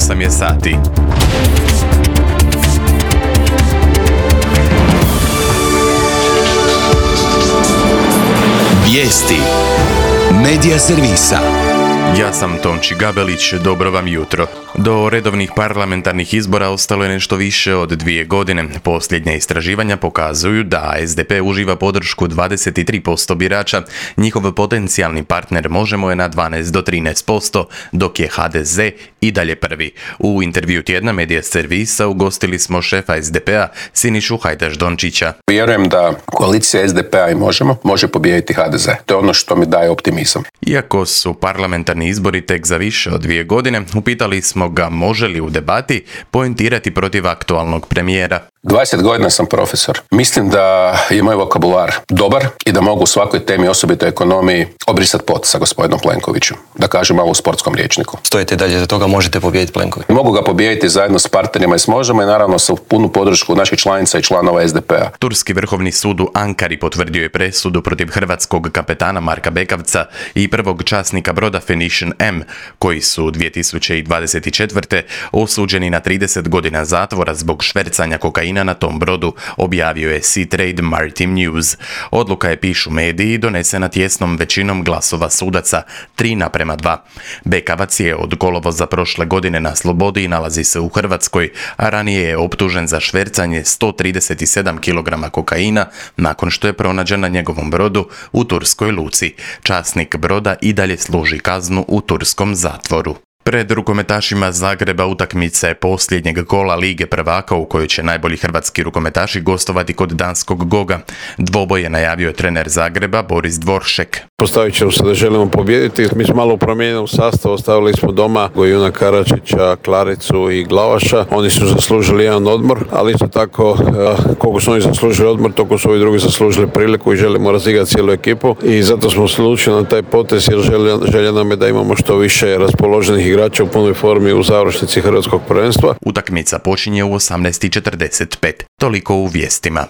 8 je sati. Vijesti Medija servisa. Ja sam Tonči Gabelić, dobro vam jutro. Do redovnih parlamentarnih izbora ostalo je nešto više od 2 godine. Posljednja istraživanja pokazuju da SDP uživa podršku 23% birača, njihov potencijalni partner Možemo je na 12 do 13%, dok je HDZ i dalje prvi. U intervju tjedna Medija servisa ugostili smo šefa SDP-a Sinišu Hajdaš Dončića. Vjerujem da koalicija SDP-a i Možemo može pobijediti HDZ. To je ono što mi daje optimizam. Iako su parlamentarni izbori tek za više od 2 godine, upitali smo ga može li u debati poentirati protiv aktualnog premijera. 20 godina sam profesor. Mislim da je moj vokabular dobar i da mogu u svakoj temi, osobito ekonomiji, obrisati pot sa gospodinom Plenkovićem. Da kažem malo u sportskom rječniku. Stojite dalje za toga, možete pobijediti Plenkovića? Mogu ga pobijediti zajedno s partnerima iz Možemo i naravno sa punu podršku naših članica i članova SDP-a. Turski vrhovni sud u Ankari potvrdio je presudu protiv hrvatskog kapetana Marka Bekavca i prvog časnika broda Phoenician M, koji su 2024. osuđeni na 30 godina zatvora zbog švercanja kokaina na tom brodu, objavio je Sea Trade Maritime News. Odluka je, pišu mediji, donesena tjesnom većinom glasova sudaca, 3:2. Bekavac je od kolovoza prošle godine na slobodi i nalazi se u Hrvatskoj, a ranije je optužen za švercanje 137 kg kokaina nakon što je pronađen na njegovom brodu u turskoj luci. Časnik broda i dalje služi kaznu u turskom zatvoru. Pred rukometašima Zagreba utakmica je posljednjeg kola Lige prvaka u kojoj će najbolji hrvatski rukometaši gostovati kod danskog Goga. Dvoboj je najavio trener Zagreba Boris Dvoršek. Postavit ćemo se da želimo pobijediti. Mi smo malo u promijenjenom sastavu, ostavili smo doma Gojuna Karačića, Klaricu i Glavaša. Oni su zaslužili jedan odmor, ali isto tako koliko su oni zaslužili odmor, toliko su ovi drugi zaslužili priliku i želimo razigrati cijelu ekipu. I zato smo se odlučili na taj potez jer želja nam je da imamo što više raspoloženih igrača u punoj formi u završnici hrvatskog prvenstva. Utakmica počinje u 18:45. Toliko u vijestima.